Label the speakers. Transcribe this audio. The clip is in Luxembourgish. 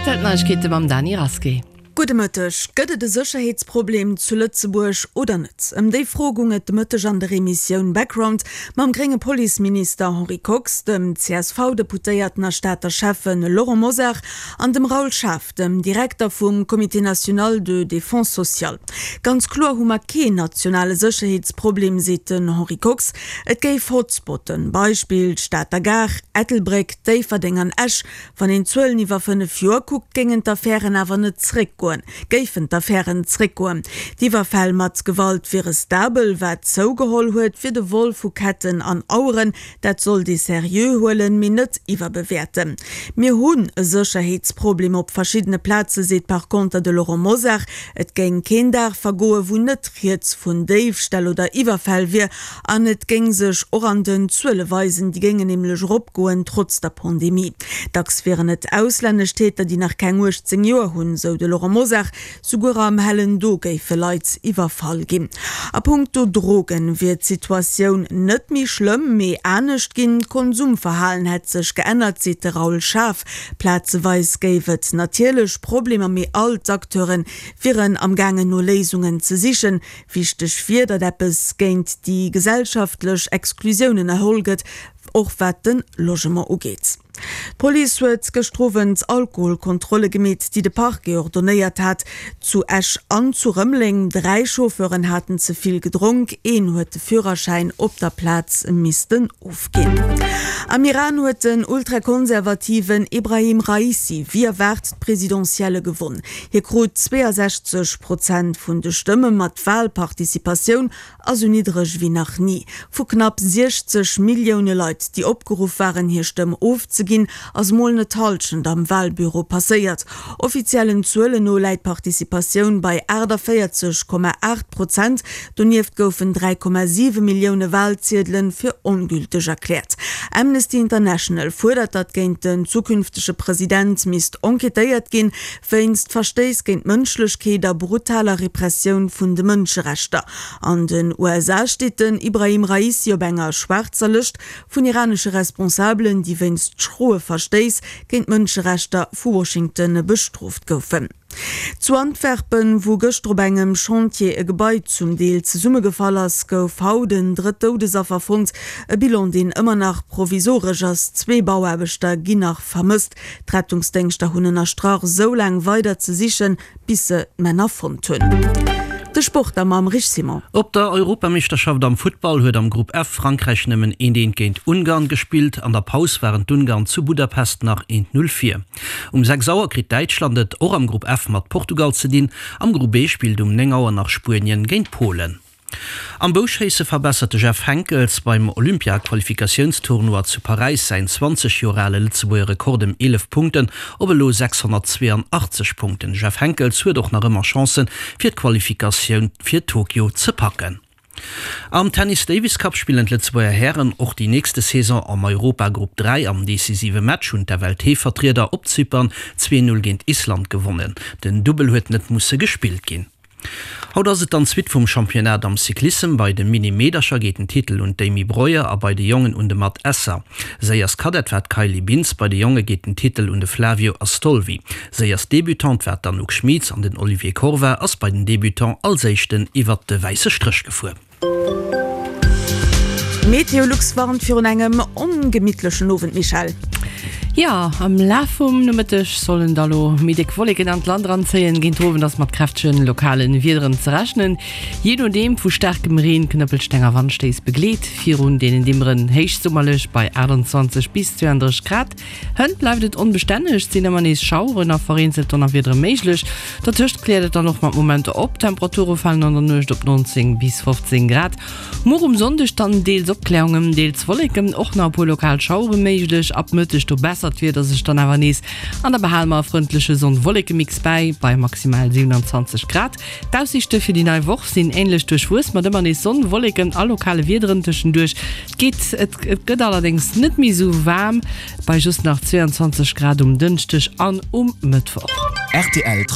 Speaker 1: Rtl Neiegkeete mam Dany Rasqué.
Speaker 2: Gudde Mëtteg. Gëtt et e Sécherheetsproblem zu Lëtzebuerg oder net? Ëm déi Fro goung et de Mëtteg an der Emissioun Background mam grénge Policeminister Henri Kox, dem CSV-Deputéierten a Stater Schäffe Laurent Mosar an dem Raoul Schaaf, dem Direkter vum Comité national de défense sociale. Ganz kloer hu mer keen nationale Sécherheetsproblem, seet den Henri Kox. Et géif Hotspotten, Beispill d'Stater Gare, Ettelbréck, Déifferdeng an Esch, Wann een d'Zuelen iwwer 5 Joer kuckt, géingen d'Affären awer net zréckgoen, géifen d'Affären zréckgoen. D'Iwwerfäll mat Gewalt wiere stabel. Wat zougeholl huet, wier de Vol vu Ketten an Aueren. Dat sollt ee seriö huelen, mee net iwwerbewäerten. Mir hunn e Sécherheetsproblem op verschiddene Plaze seet par conter de Laurent Mosar. Et géing keen Dag vergoen, wou net rieds vun Déifställ oder Iwwerfäll wier. An et géing sech och an den Zuele weisen, déi géingen nämlech eropgoen, trotz der Pandemie. Dacks wieren et auslännesch Täter, déi nach keng 18 Joer hunn, sou de Laurent Mosar. Souguer am hellen Do géife Leit iwwerfall ginn. A punkto Drogen wier d'Situatioun net méi schlëmm, mee anescht ginn. D'Konsumverhalen hätt sech geännert, seet de Raoul Schaaf. Plazeweis géif et natierlech Problemer, mee all d'Acteure wieren am gaangen no Léisungen ze sichen. Wichteg wier, datt eppes géint déi gesellschaftlech Exklusioun ënnerholl gëtt, och wat de Logement ugeet. D'Police huet gëschter Owend Alkoholkontrolle gemeet, déi de Parquet ordonnéiert hat, zu Esch an zu Rëmeleng. 3 Chauffeuren haten ze vill gedronk, een huet de Führerschäin op der Plaz missten ofginn. Am Iran huet den ultrakonservativen Ebrahim Raisi wéi erwaart d'Presidentielle gewonn. Hie krut 62 Prozent vun de Stëmme, ma d'Walparticipatioun ass sou niddreg wéi nach ni. Vu knapp 60 Millioune Leit, déi opgeruff waren, hir Stëmm ofzeginn, ass mol net d'Hallschent am Walbüro passéiert. Offiziellen Zuelen no läit d'Participatioun bei 48,8 Prozent. Donieft goufen 3,7 Millioune Walziedele fir ongülteg erkläert. Amnesty International fuerdert, datt géint den zukünftege President misst enquêtéiert ginn, wéinst Verstéiss géint d'Mënschlechkeet a brutaler Repressioun vun de Mënscherechter. An den USA steet den Ibrahim Raisi op enger schwaarzer Lëscht vun iranesche Responsabelen, déi wéinst schroe Verstéiss géint d'Mënscherechter vu Washington bestrooft goufen. Zu Antwerpen, wou gëschter op engem Chantier e Gebai zum Deel zesummegefall ass, gouf haut en drëtt Doudesaffer fonnt. E Bilan, deen ëmmer nach provisoresch ass. Zwee Bauaarbechter ginn nach vermësst. D'Rettungsdéngschter hunn ënnerstrach, esou laang weider ze sichen, bis se d'Männer fonnt hunn. De Sport da mam Rich Simon.
Speaker 3: Op der Europameeschterschaft am Futtball huet am Grupp F Frankräich nëmmen eent eent géint Ungarn gespillt. An der Paus waren d'Ungarn zu Budapest nach eent Null vir. Um 6 Auer kritt Däitschland et och am Grupp F mat Portugal ze dinn. Am Grupp E spillt um 9 Auer nach Spuenien géint Polen. Am Bouschéisse verbessert de Jeff Henckels beim Olympia-Qualifikatiounstournoi zu Paräis säin 20 Joer ale Lëtzebuerger Rekord ëm 11 Punkten op elo 682 Punkten. De Jeff Henckels huet och nach ëmmer Chancen, fir d'Qualifikatioun fir Tokio ze packen. Am Tennis Davis Cup spillen d'Lëtzebuerger Hären och déi nächste Saison am Europagrupp 3. Am decisive Match hunn d'FLT-Vertrieder op Zypern 2, 0 géint Island gewonnen. Den Dubbel huet net musse gespillt ginn. Haut ass et dann d'Suite vum Championnat am Cyclissem. Bei de Mini-Meedercher geet den Titel un d'Amy Breuer a bei de Jongen un de Matt Esser. Séierst Kadett war d'Kylie Bintz, bei de Jonge geet den Titel un de Flavio Astolvi. Séierst Debutante war d'Anouk Schmieds an den Olivier Corva ass bei den Debutants als éischten iwwert de wäisse Stréch gefuer.
Speaker 2: Meteolux warnt virun engem ongemittlechen Owend, Michèle.
Speaker 1: Jo, am Laf vum Nomëtteg sollen da lo méi déck Wolleken an d'Land eranzéien. Géint den Owend ass mat kräftegen lokale Wiederen ze rechnen, jee nodeem vu staarkem Reen, Knëppelsteng a Wandstéiss begleet. Virun deenen Dimmeren héichsummerlech bei 28 bis 32 Grad. Hënt bleift et onbestänneg, et sinn ëmmer nees Schaueren a vereenzelt Donnerwiedere méiglech. Dertëscht kläert et dann och mat Momenter op. D'Temperature falen an der Nuecht op 19 bis 15 Grad. Muer um Sonndeg dann deels Opklärungen, deels Wolleken, och nach e puer lokal Schauere méiglech. Ab Mëtteg do bessert d'Wieder sech dann awer nees an da behale mer e frëndleche Sonn-Wolleke-Mix bäi, bei maximal 27 Grad. D'Aussiichte fir déi nei Woch sinn änlech duerchwuess, mat ëmmer nees Sonn, Wolleken a lokale Wiederen tëschenduerch. Et geet, et gëtt allerdéngs net méi esou waarm, bei just nach 22 Grad um Dënschdeg an um Mëttwoch.
Speaker 4: Rtl.